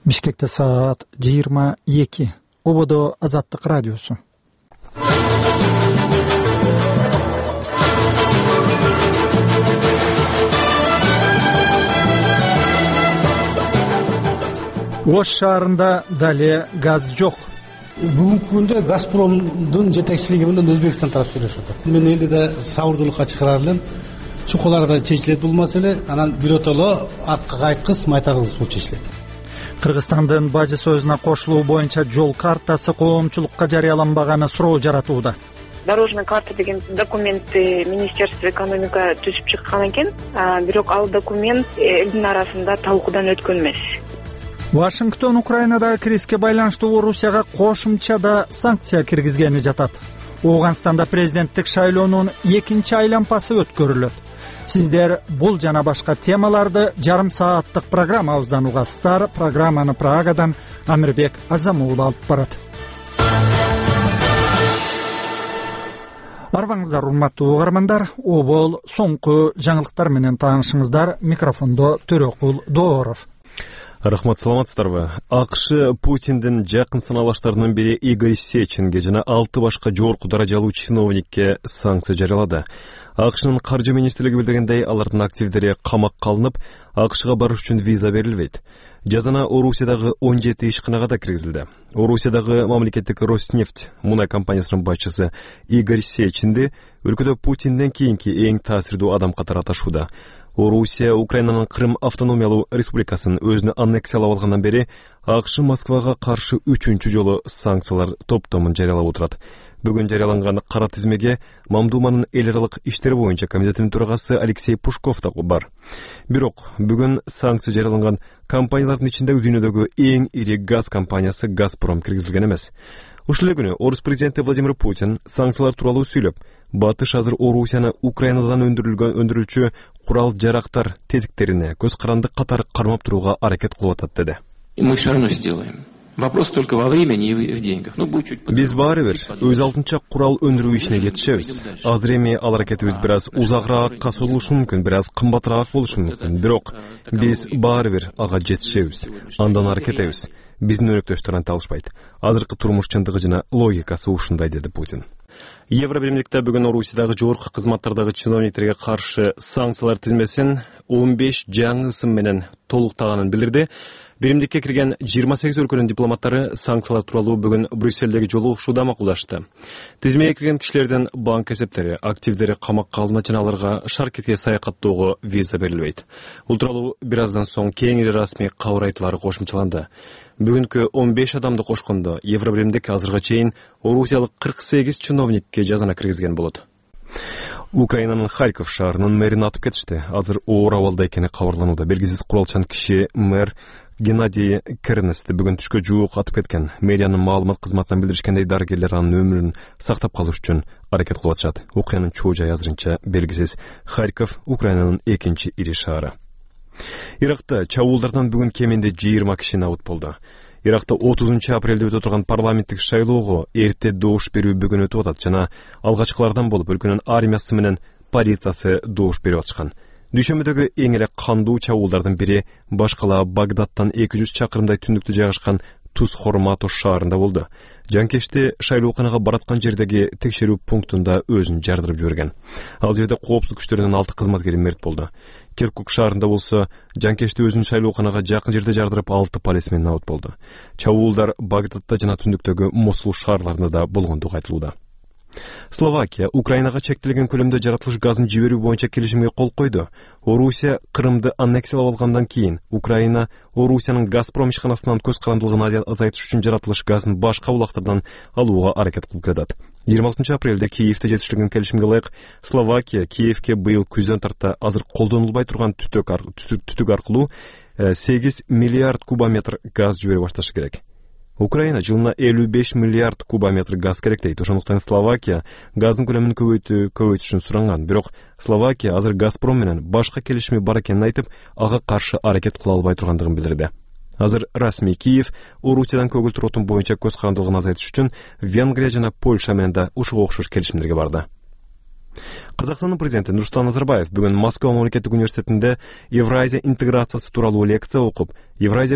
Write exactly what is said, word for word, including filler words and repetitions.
Бишкекте саат жыйырма эки. Ободо Азаттык радиосу. Ош шаарында дале газ жок. Бүгүнкү күндө Газпромдун жетекчилиги менен Өзбекстан тарап сүйлөшүп атат. Мен эле да сабырдуулукка чакырар элем. Чукуларда чечилет бул маселе, анан биротоло артка кайткыс, майтаргыс болуп чечилет. Кыргызстандын Бажы сөзүнө кошулуу боюнча жол картасы коомчулукка жарыяланбаганы суроо жаратууда. Дорожный карта деген документти Министерство экономика түзүп чыккан экен, бирок ал документ элдин арасында талкуудан өткөн эмес. Вашингтон Украинадагы кризиске байланыштуу Орусияга кошумча да санкция киргизгени жатат. Ооганстанда президенттик шайлоонун экинчи айлампасы өткөрүлөт. Сиздер бул жана башка темаларды жарым сааттык программабыздан угасыздар. Программаны Прагадан Амирбек Азамулов алып барат. Арбаңыздар, урматтуу угармандар. Обол соңку жаңылыктар менен таанышыңыздар. Микрофондо Төрөкул Дооров. Рахмат, саламатсыздарбы? АКШ Путиндин жакын саналаштарынын бири Игорь Сеченге жана алты башка жогорку даражалуу чиновникке санкция жарыялады. АКШнын каржы министрлиги билдиргендей, алардын активдери камакка алынып, АКШга барыш үчүн виза берилбейт. Жазана Орусиядагы он жети ишканага да киргизилди. Орусиядагы мамлекеттик Роснефть мунай компаниясынын башчысы Игорь Сеченди өлкөдө Путинден кийинки эң таасирдүү адам катары аташууда. Орусия Украинанын Крым автономиялуу республикасын өзүнө аннексиялап алгандан бери АКШ Москвага каршы үчүнчү жолу санкциялар топтомун жарыялап отурат. Бүгүн жарыяланган кара тизмеге Мамдуманын эл аралык иштер боюнча комитетинин төрагасы Алексей Пушков да бар. Бирок бүгүн санкция жарыяланган компаниялардын ичинде дүйнөдөгү эң ири газ компаниясы Газпром киргизилген эмес. Ушул эле күнү Орус президенти Владимир Путин санкциялар тууралуу сүйлөп, Батыш азыр Орусияны Украинадан өндүрүлгөн өндүрүлчү курал жарактар тетиктерине көз каранды катары кармап турууга аракет кылып атат деди. Мы все равно сделаем. Вопрос только во времени и в деньгах. Ну, будет чуть Биз баары бир өз алдынча курал өндүрүү ишине жетишебиз. Азыр эми ал аракетибиз бир аз узагыраакка созулушу мүмкүн, бир аз кымбатыраак болушу мүмкүн. Бирок биз баары бир ага жетишебиз. Андан аракет этебиз. Биздин өнөктөштөр анта алышпайт. Азыркы турмуш чындыгы жана логикасы ушундай, деди Путин. Евробиримдикте бүгүн Орусиядагы жогорку кызматтардагы чиновниктерге каршы санкциялар тизмесин он беш жаңы ысым менен толуктаганын билдирди. Биримдикке кирген жыйырма сегиз өлкөнүн дипломаттары санкциялар тууралуу бүгүн Брюссельдеги жолугушууда макулдашты. Тизмеге кирген кишилердин банк эсептери, активдери камакка алынат жана аларга шаркетке саякаттоого виза берилбейт. Бул тууралуу бир аздан соң кеңири расмий кабар айтуулары кошумчаланды. Бүгүнкү он беш адамды кошкондо Евробиримдик азырга чейин орусиялык кырк сегиз чиновникке жазана киргизген болот. Украинанын Харьков шаарынын мэрин атып кетишти. Азыр оор абалда экени кабарланууда. Белгисиз куралчан киши мэр Геннадий Кернести бүгүн түшкө жуук атып кеткен. Мэриянын маалымат кызматынан билдиришкендей, дарыгерлер анын өмүрүн сактап калыш үчүн аракет кылып атышат. Окуянын чоо жайы азырынча белгисиз. Харьков Украинанын экинчи ири шаары. Иракта чабуулдардан бүгүн кеминде жыйырма киши набыт болду. Иракта отузунчу апрелде өтө турган парламенттик шайлоого эрте добуш берүү бүгүн өтүп атат жана алгачкылардан болуп өлкөнүн армиясы менен полициясы добуш берип атышкан. Дүйшөмбөдөгү эң эле кандуу чабуулдардын бири башкала Багдадтан эки жүз чакырымдай түндүктө жайгашкан Туз-Хормато шаарында болду. Жанкечти шайлооканага бараткан жердеги текшерүү пунктунда өзүн жардырып жиберген. Ал жерде коопсуздук күчтөрүнүн алты кызматкери мерт болду. Киркук шаарында болсо жанкечти өзүн шайлооканага жакын жерде жардырып алты полисмен набыт болду. Чабуулдар Багдадта жана түндүктөгү Мосул шаарларында да болгондугу айтылууда. Словакия Украинага чектелген көлөмдө жаратылыш газын жиберүү боюнча келишимге кол койду. Орусия Крымды аннексиялап алгандан кийин Украина Орусиянын Газпром ишканасынан көз карандылыгын азайтыш үчүн жаратылыш газын башка булактардан алууга аракет кылып келатат. жыйырма алтынчы апрелде Киевде жетишилген келишимге ылайык Словакия Киевке быйыл күздөн тарта азыр колдонулбай турган түтүк аркылуу сегиз миллиард кубометр газ жибере башташы керек. Украина жылына элүү беш миллиард кубометр газ керек дейт. Ошондуктан Словакия газдын көлөмүн көбөйтүү көбөйтүшүн суранган. Бирок Словакия азыр Газпром менен башка келишими бар экенин айтып, ага каршы аракет кыла албай тургандыгын билдирди. Азыр расмий Киев Орусиядан көгүлтүр отун боюнча көз карандылыгын азайтыш үчүн Венгрия жана Польша менен да ушуга окшош келишимдерге барды. Казакстандын президенти Нурсултан Назарбаев бүгүн Москва мамлекеттик университетинде Евразия интеграциясы тууралуу лекция окуп, Евразия